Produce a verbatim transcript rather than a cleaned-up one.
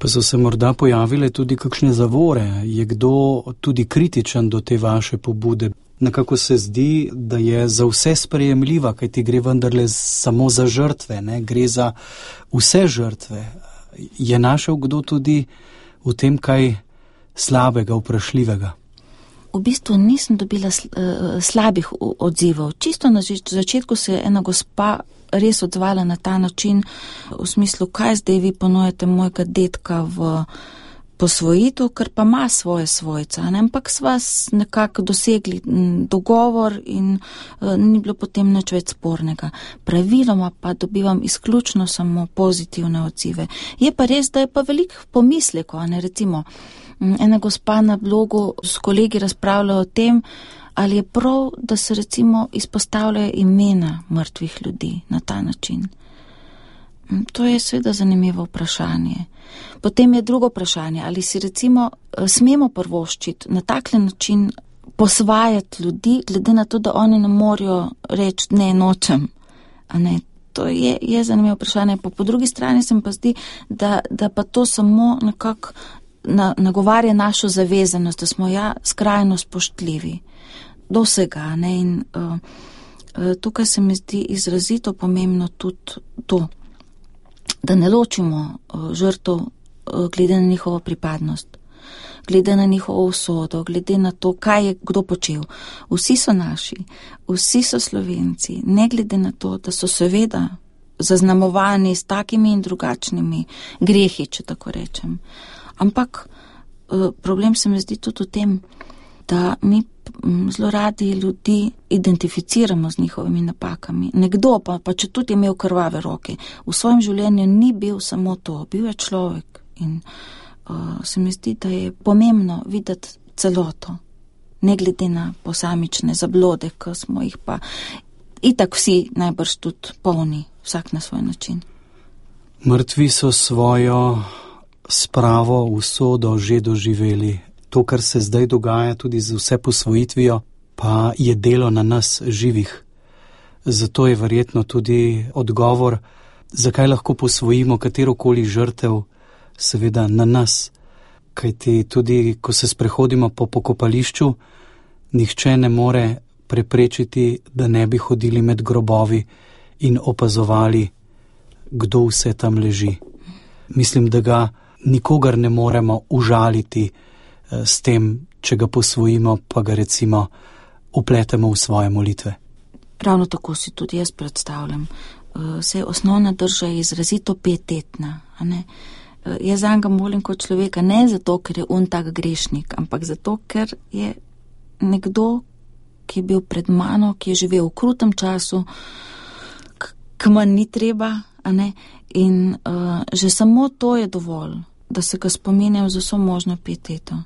Pa so se morda pojavile tudi kakšne zavore? Je kdo tudi kritičen do te vaše pobude? Nekako se zdi, da je za vse sprejemljiva, kaj ti gre vendarle samo za žrtve, ne? Gre za vse žrtve. Je našel kdo tudi v tem kaj slabega, vprašljivega? V bistvu nisem dobila slabih odzivov. Čisto na začetku se je ena gospa res odzvala na ta način, v smislu, kaj zdaj vi ponujete mojega dedka v posvojitev, ker pa ima svoje svojca, ne? Ampak sva nekako dosegli dogovor in uh, ni bilo potem nič več spornega. Praviloma pa dobivam izključno samo pozitivne odzive. Je pa res, da je pa veliko pomislekov, ne? Recimo, ena gospa na blogu s kolegi razpravlja o tem, ali je prav, da se recimo izpostavljajo imena mrtvih ljudi na ta način. To je seveda zanimivo vprašanje. Potem je drugo vprašanje, ali si recimo smemo prvoščiti na takle način posvajati ljudi, glede na to, da oni ne morajo reči ne, nočem. A ne, to je, je zanimivo vprašanje. Po, po drugi strani se mi pa zdi, da, da pa to samo nekako na, nagovarja našo zavezanost, da smo ja skrajno spoštljivi do vsega. Ne? In uh, uh, tukaj se mi zdi izrazito pomembno tudi to, da ne ločimo uh, žrtev uh, glede na njihovo pripadnost, glede na njihovo usodo, glede na to, kaj je kdo počel. Vsi so naši, vsi so Slovenci, ne glede na to, da so seveda zaznamovani s takimi in drugačnimi grehi, če tako rečem. Ampak uh, problem se mi zdi tudi v tem, da mi zelo radi ljudi identificiramo z njihovimi napakami. Nekdo pa, pa če tudi je imel krvave roke, v svojem življenju ni bil samo to, bil je človek. In uh, se mi zdi, da je pomembno videti celoto, ne glede na posamične zablode, ki smo jih pa itak vsi najbrž tudi polni, vsak na svoj način. Mrtvi so svojo spravo, usodo že doživeli. To, kar se zdaj dogaja tudi z vse posvojitvijo, pa je delo na nas živih. Zato je verjetno tudi odgovor, zakaj lahko posvojimo katerokoli žrtev, seveda na nas. Kajti tudi, ko se sprehodimo po pokopališču, nihče ne more preprečiti, da ne bi hodili med grobovi in opazovali, kdo vse tam leži. Mislim, da ga nikogar ne moremo užaliti s tem, če ga posvojimo, pa ga recimo upletemo v svoje molitve. Ravno tako si tudi jaz predstavljam. Vse osnovna drža je izrazito pietetna. A ne? Jaz zanj ga molim kot človeka ne zato, ker je on tak grešnik, ampak zato, ker je nekdo, ki je bil pred mano, ki je živel v krutem času, k manj ni treba, a ne? In uh, že samo to je dovolj, da se ga spominjam z vso možno pieteto.